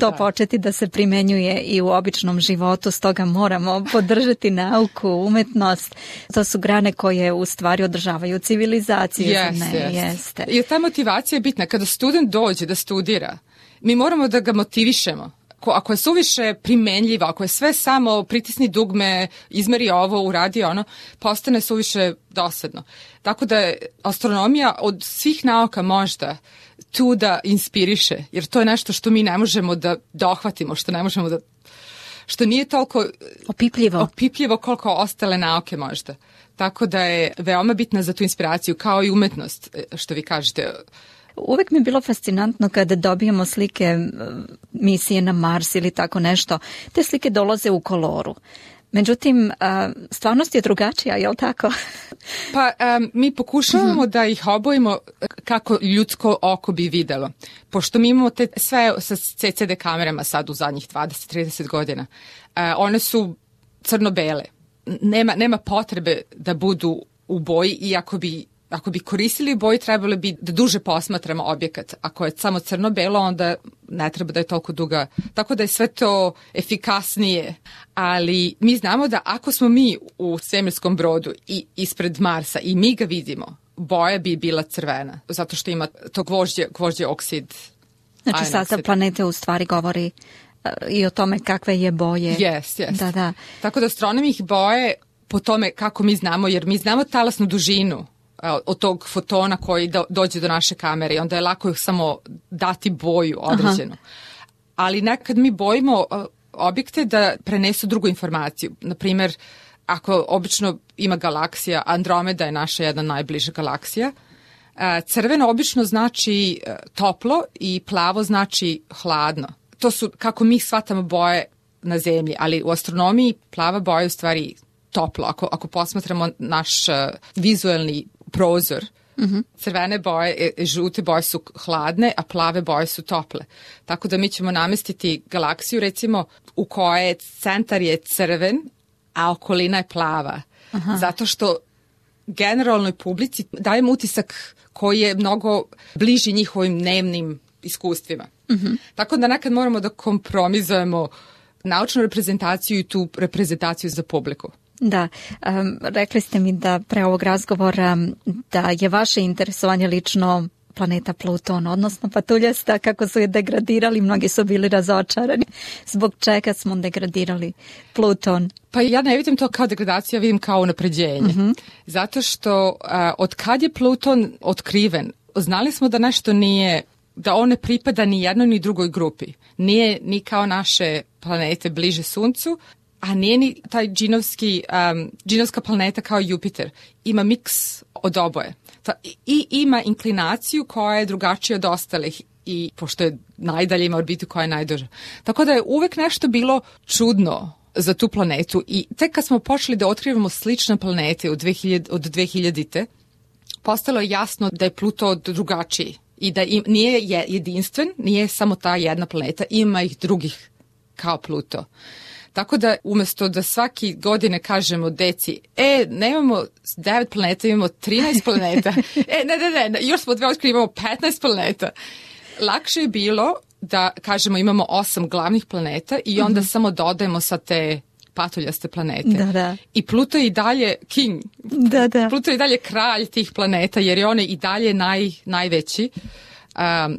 to početi da se primenjuje i u običnom životu, stoga moramo podržati nauku, umetnost. To su grane koje u stvari održavaju civilizaciju. Jeste. I ta motivacija je bitna. Kada student dođe da studira, mi moramo da ga motivišemo. Ako je suviše primenljivo, ako je sve samo pritisni dugme, izmeri ovo, uradi ono, postane suviše dosadno. Tako da je astronomija od svih nauka možda tu da inspiriše, jer to je nešto što mi ne možemo da dohvatimo, što nije toliko opipljivo koliko ostale nauke možda. Tako da je veoma bitna za tu inspiraciju, kao i umetnost, što vi kažete. Uvek mi je bilo fascinantno kada dobijemo slike misije na Mars ili tako nešto. Te slike dolaze u koloru. Međutim, stvarnost je drugačija, je li tako? Pa mi pokušavamo da ih obojimo kako ljudsko oko bi videlo. Pošto mi imamo sve sa CCD kamerama sad u zadnjih 20-30 godina. One su crno-bele. Nema potrebe da budu u boji, i ako bi koristili boji, trebalo bi da duže posmatramo objekat. Ako je samo crno-belo, onda ne treba da je toliko duga. Tako da je sve to efikasnije. Ali mi znamo da ako smo mi u svemirskom brodu i ispred Marsa i mi ga vidimo, boja bi bila crvena. Zato što ima to gvožđe oksid. Znači sastav planete u stvari govori i o tome kakve je boje. Yes. Da. Tako da astronomi ih boje po tome kako mi znamo, jer mi znamo talasnu dužinu od tog fotona koji dođe do naše kamere i onda je lako samo dati boju određenu. Ali nekad mi bojimo objekte da prenesu drugu informaciju. Naprimjer, ako obično ima galaksija, Andromeda je naša jedna najbliža galaksija, crveno obično znači toplo i plavo znači hladno. To su kako mi shvatamo boje na zemlji, ali u astronomiji plava boja je u stvari toplo. Ako posmatramo naš vizualni prozor, crvene boje, žute boje su hladne, a plave boje su tople. Tako da mi ćemo namestiti galaksiju, recimo, u kojoj centar je crven, a okolina je plava. Zato što generalnoj publici dajemo utisak koji je mnogo bliži njihovim dnevnim iskustvima. Tako da nekad moramo da kompromizujemo naučnu reprezentaciju i tu reprezentaciju za publiku. Da, rekli ste mi da pre ovog razgovora da je vaše interesovanje lično planeta Pluton, odnosno patuljasta, kako su je degradirali, mnogi su bili razočarani. Zbog čega smo degradirali Pluton? Pa ja ne vidim to kao degradaciju, ja vidim kao unapređenje. Zato što od kad je Pluton otkriven, znali smo da nešto nije, da on ne pripada ni jednoj ni drugoj grupi. Nije ni kao naše planete bliže Suncu, a nije ni taj džinovska planeta kao Jupiter. Ima miks od oboje. I ima inklinaciju koja je drugačija od ostalih i pošto je najdalje ima orbitu koja je najduža. Tako da je uvek nešto bilo čudno za tu planetu i tek kad smo počeli da otkrivamo slične planete od 2000-te, postalo je jasno da je Pluto drugačiji i da nije jedinstven, nije samo ta jedna planeta, ima ih drugih kao Pluto. Tako da umjesto da svaki godine kažemo deci, nemamo 9 planeta, imamo 13 planeta. Ne, još smo 2 otkrili, imamo 15 planeta. Lakše je bilo da kažemo imamo 8 glavnih planeta i onda samo dodajemo sa te patuljaste planete. Da. I Pluto je i dalje king. Da. Pluto je i dalje kralj tih planeta jer je on i dalje najveći.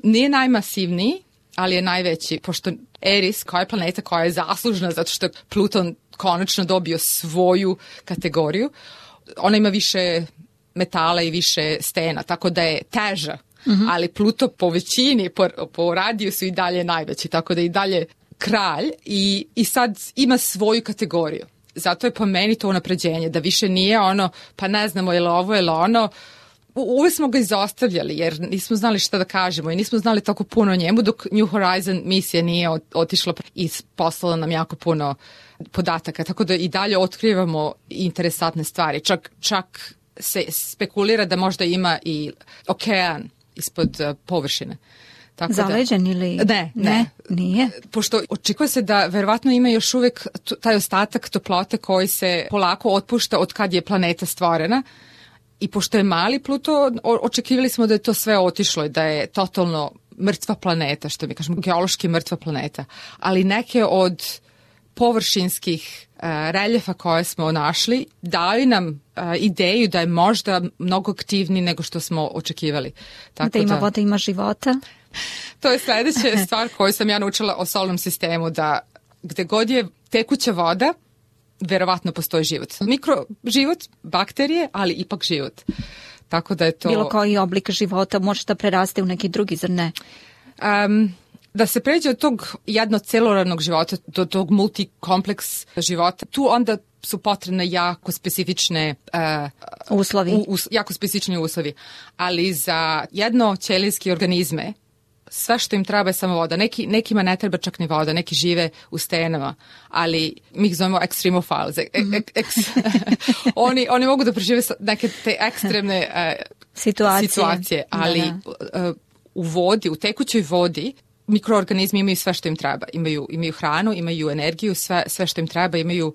Nije najmasivniji, ali je najveći, pošto Eris, koja je planeta koja je zaslužna zato što je Pluton konačno dobio svoju kategoriju, ona ima više metala i više stena, tako da je teža, ali Pluto po većini, po radiju su i dalje najveći, tako da je i dalje kralj i sad ima svoju kategoriju. Zato je po meni to unapređenje, da više nije ono, pa ne znamo je li ovo ili ono. Uvijek smo ga izostavljali jer nismo znali šta da kažemo i nismo znali tako puno o njemu dok New Horizon misija nije otišla i poslala nam jako puno podataka. Tako da i dalje otkrivamo interesantne stvari. Čak se spekulira da možda ima i okean ispod površine. Tako zaleđen ili? Ne, nije. Pošto očekuje se da verovatno ima još uvijek taj ostatak toplote koji se polako otpušta od kad je planeta stvorena. I pošto je mali Pluto, očekivali smo da je to sve otišlo i da je totalno mrtva planeta, što mi kažemo, geološki mrtva planeta. Ali neke od površinskih reljefa koje smo našli daju nam ideju da je možda mnogo aktivniji nego što smo očekivali. Tako da ima voda, ima života? To je sljedeća stvar koju sam ja naučila o solarnom sistemu, da gde god je tekuća voda, verovatno postoji život. Mikroživot, bakterije, ali ipak život. Tako da je to... Bilo koji oblik života može da preraste u neki drugi, zar ne? Da se pređe od tog jednocelularnog života do tog multikompleks života, tu onda su potrebne jako specifične uslovi. Jako specifični uslovi. Ali za jednoćelijske organizme sve što im treba je samo voda. Nekima ne treba čak ni voda, neki žive u stenama, ali mi ih zovemo extremofiles. Oni mogu da prežive neke te ekstremne situacije, ali u vodi, u tekućoj vodi, mikroorganizmi imaju sve što im treba. Imaju hranu, imaju energiju, sve što im treba, imaju...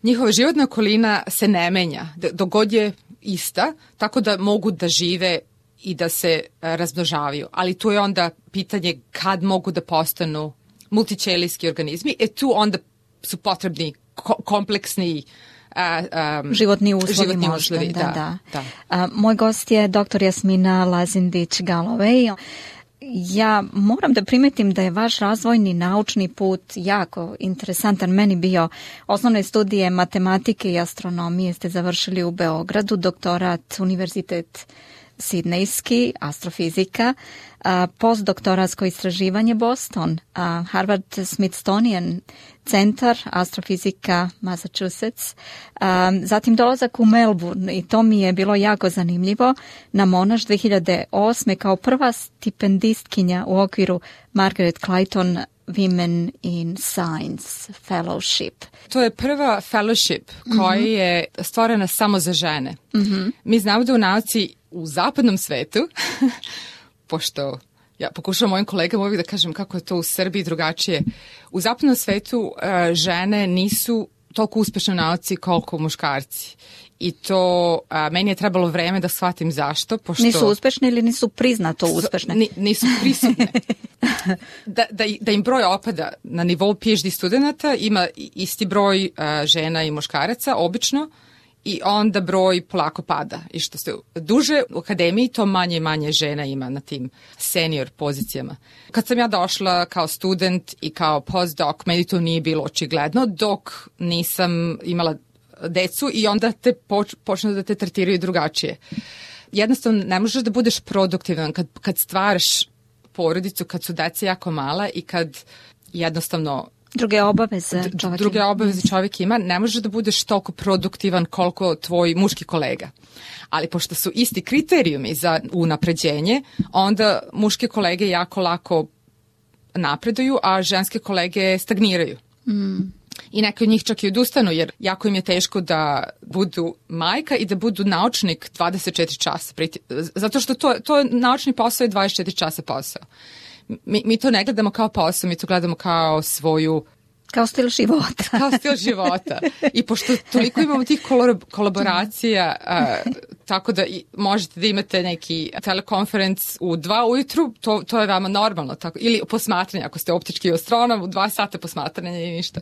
njihova životna okolina se ne menja, dok god je ista, tako da mogu da žive i da se razmnožavaju. Ali tu je onda pitanje kad mogu da postanu multićelijski organizmi. Tu onda su potrebni kompleksni životni uslovi. Da. Moj gost je dr. Jasmina Lazindić-Galloway. Ja moram da primetim da je vaš razvojni naučni put jako interesantan. Meni bio osnovne studije matematike i astronomije ste završili u Beogradu, doktorat Univerzitet sidnejski, astrofizika, postdoktoratsko istraživanje Boston, Harvard Smithsonian centar, astrofizika Massachusetts, zatim dolazak u Melbourne i to mi je bilo jako zanimljivo na Monash 2008. kao prva stipendistkinja u okviru Margaret Clayton Women in Science Fellowship. To je prva fellowship koja je stvorena samo za žene. Mi znamo da u nauci u zapadnom svetu, pošto ja pokušavam mojim kolegama uvijek da kažem kako je to u Srbiji drugačije, u zapadnom svetu žene nisu toliko uspešne u nauci koliko muškarci. I to meni je trebalo vreme da shvatim zašto. Pošto nisu uspešne ili nisu priznato uspešne? Nisu prisutne. Da im broj opada na nivou PhD studenta, ima isti broj žena i muškaraca, obično, i onda broj polako pada. I što ste duže u akademiji, to manje i manje žena ima na tim senior pozicijama. Kad sam ja došla kao student i kao postdoc, meni to nije bilo očigledno, dok nisam imala decu i onda te počnu da te tretiraju drugačije. Jednostavno, ne možeš da budeš produktivan kad stvaraš porodicu, kad su deca jako mala i kad jednostavno druge obaveze čovjek ima, ne možeš da budeš toliko produktivan koliko tvoj muški kolega. Ali pošto su isti kriterijumi za unapređenje, onda muške kolege jako lako napreduju, a ženske kolege stagniraju. I neki od njih čak i odustanu, jer jako im je teško da budu majka i da budu naučnik 24 časa. Zato što to je naučni posao i 24 časa posao. Mi to ne gledamo kao posao, mi to gledamo kao svoju... Kao stil života. Kao stil života. I pošto toliko imamo tih kolaboracija, tako da možete da imate neki telekonferenc u 2 ujutru, to je vama normalno. Tako, ili posmatranje, ako ste optički astronom, u 2 sata posmatranja i ništa.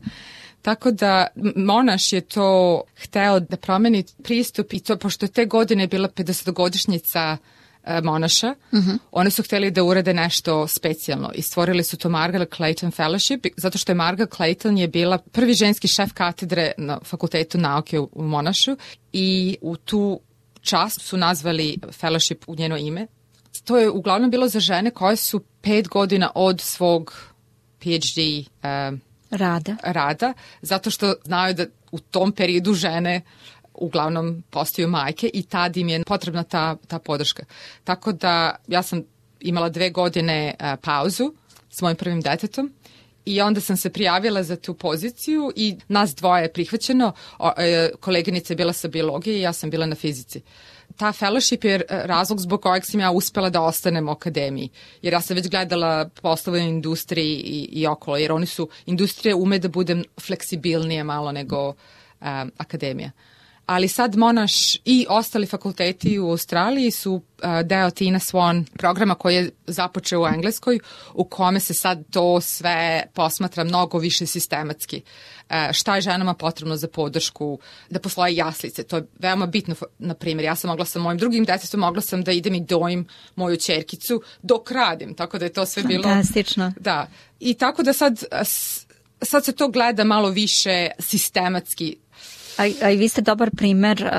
Tako da Monash je to hteo da promeni pristup i to, pošto je te godine bila 50-godišnjica Monasha, oni su htjeli da urade nešto specijalno i stvorili su to Margaret Clayton Fellowship, zato što je Margaret Clayton je bila prvi ženski šef katedre na Fakultetu nauke u Monashu i u tu čast su nazvali fellowship u njeno ime. To je uglavnom bilo za žene koje su 5 godina od svog PhD rada, zato što znaju da u tom periodu žene uglavnom postaju majke i tad im je potrebna ta podrška. Tako da ja sam imala 2 godine pauzu s mojim prvim detetom i onda sam se prijavila za tu poziciju i nas dvoje je prihvaćeno. Koleginica je bila sa biologije i ja sam bila na fizici. Ta fellowship je razlog zbog kojeg sam ja uspela da ostanem u akademiji. Jer ja sam već gledala poslove u industriji i okolo. Jer oni su, industrija ume da bude fleksibilnije malo nego akademija. Ali sad Monash i ostali fakulteti u Australiji su deo Tina Swan programa koji je započeo u Engleskoj, u kome se sad to sve posmatra mnogo više sistematski. Šta je ženama potrebno za podršku, da postoje jaslice, to je veoma bitno. Na primjer, ja sam mogla sa mojim drugim detetom, mogla sam da idem i dojim moju ćerkicu dok radim, tako da je to sve bilo... Fantastično. Da, i tako da sad se to gleda malo više sistematski. A i vi ste dobar primer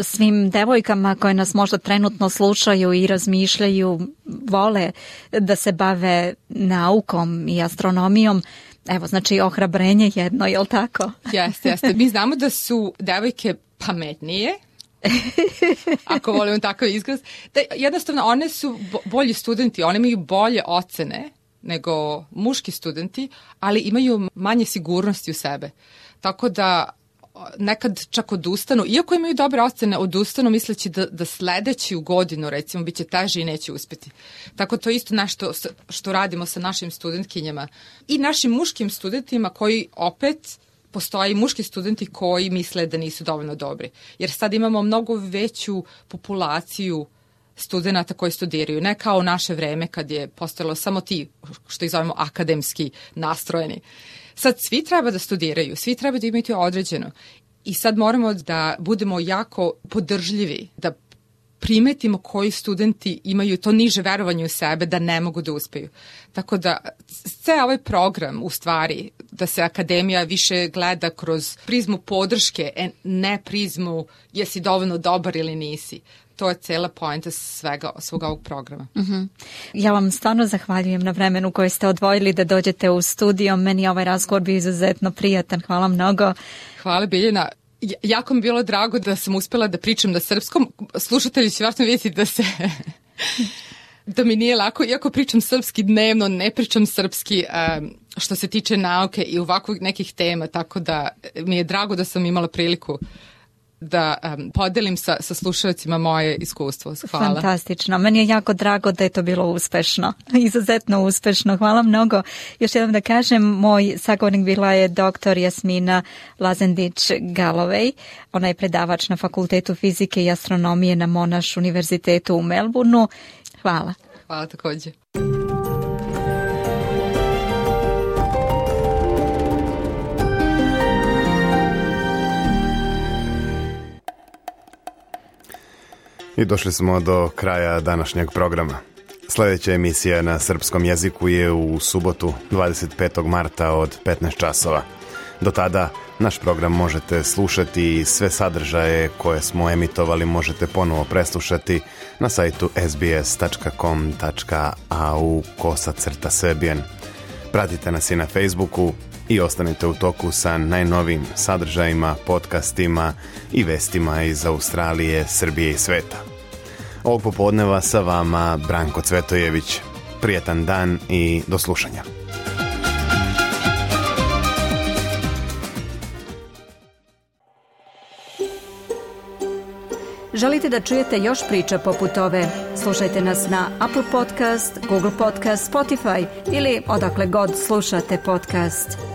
svim devojkama koje nas možda trenutno slušaju i razmišljaju, vole da se bave naukom i astronomijom. Evo, znači ohrabrenje jedno, je li tako? Jeste. Mi znamo da su devojke pametnije, ako volimo takav izraz. Da jednostavno, one su bolji studenti, one imaju bolje ocene nego muški studenti, ali imaju manje sigurnosti u sebe. Tako da nekad čak odustanu, iako imaju dobre ocene, odustanu misleći da sledeću godinu, recimo, bit će teže i neće uspjeti. Tako to je isto nešto što radimo sa našim studentkinjama i našim muškim studentima koji opet postoje i muški studenti koji misle da nisu dovoljno dobri. Jer sad imamo mnogo veću populaciju studenata koji studiraju, ne kao u naše vreme kad je postojalo samo ti, što ih zovemo akademski nastrojeni. Sad svi treba da studiraju, svi treba da imaju određeno i sad moramo da budemo jako podržljivi, da primetimo koji studenti imaju to niže verovanje u sebe da ne mogu da uspeju. Tako da sve ovaj program u stvari da se akademija više gleda kroz prizmu podrške, ne prizmu jesi dovoljno dobar ili nisi. To je cela poenta svega ovog programa. Ja vam stvarno zahvaljujem na vremenu koje ste odvojili da dođete u studio. Meni je ovaj razgovor bio izuzetno prijatan. Hvala mnogo. Hvala Biljana. Jako mi je bilo drago da sam uspjela da pričam na srpskom. Slušatelji će vjerojatno vidjeti da mi nije lako, iako pričam srpski dnevno, ne pričam srpski što se tiče nauke i ovakvih nekih tema, tako da mi je drago da sam imala priliku da podelim sa slušalcima moje iskustvo. Hvala. Fantastično. Meni je jako drago da je to bilo uspešno. Izuzetno uspešno. Hvala mnogo. Još jednom da kažem, moj sagovornik bila je dr. Jasmina Lazendić-Galloway. Ona je predavač na Fakultetu fizike i astronomije na Monash univerzitetu u Melbourneu. Hvala. Hvala također. I došli smo do kraja današnjeg programa. Sljedeća emisija na srpskom jeziku je u subotu 25. marta od 15 časova. Do tada naš program možete slušati i sve sadržaje koje smo emitovali možete ponovo preslušati na sajtu sbs.com.au/Serbian. Pratite nas i na Facebooku i ostanite u toku sa najnovijim sadržajima, podcastima i vestima iz Australije, Srbije i sveta. Ovog popodneva sa vama Branko Cvetojević. Prijetan dan i do slušanja. Želite da čujete još priča poput ove? Slušajte nas na Apple Podcast, Google Podcast, Spotify ili odakle god slušate podcast.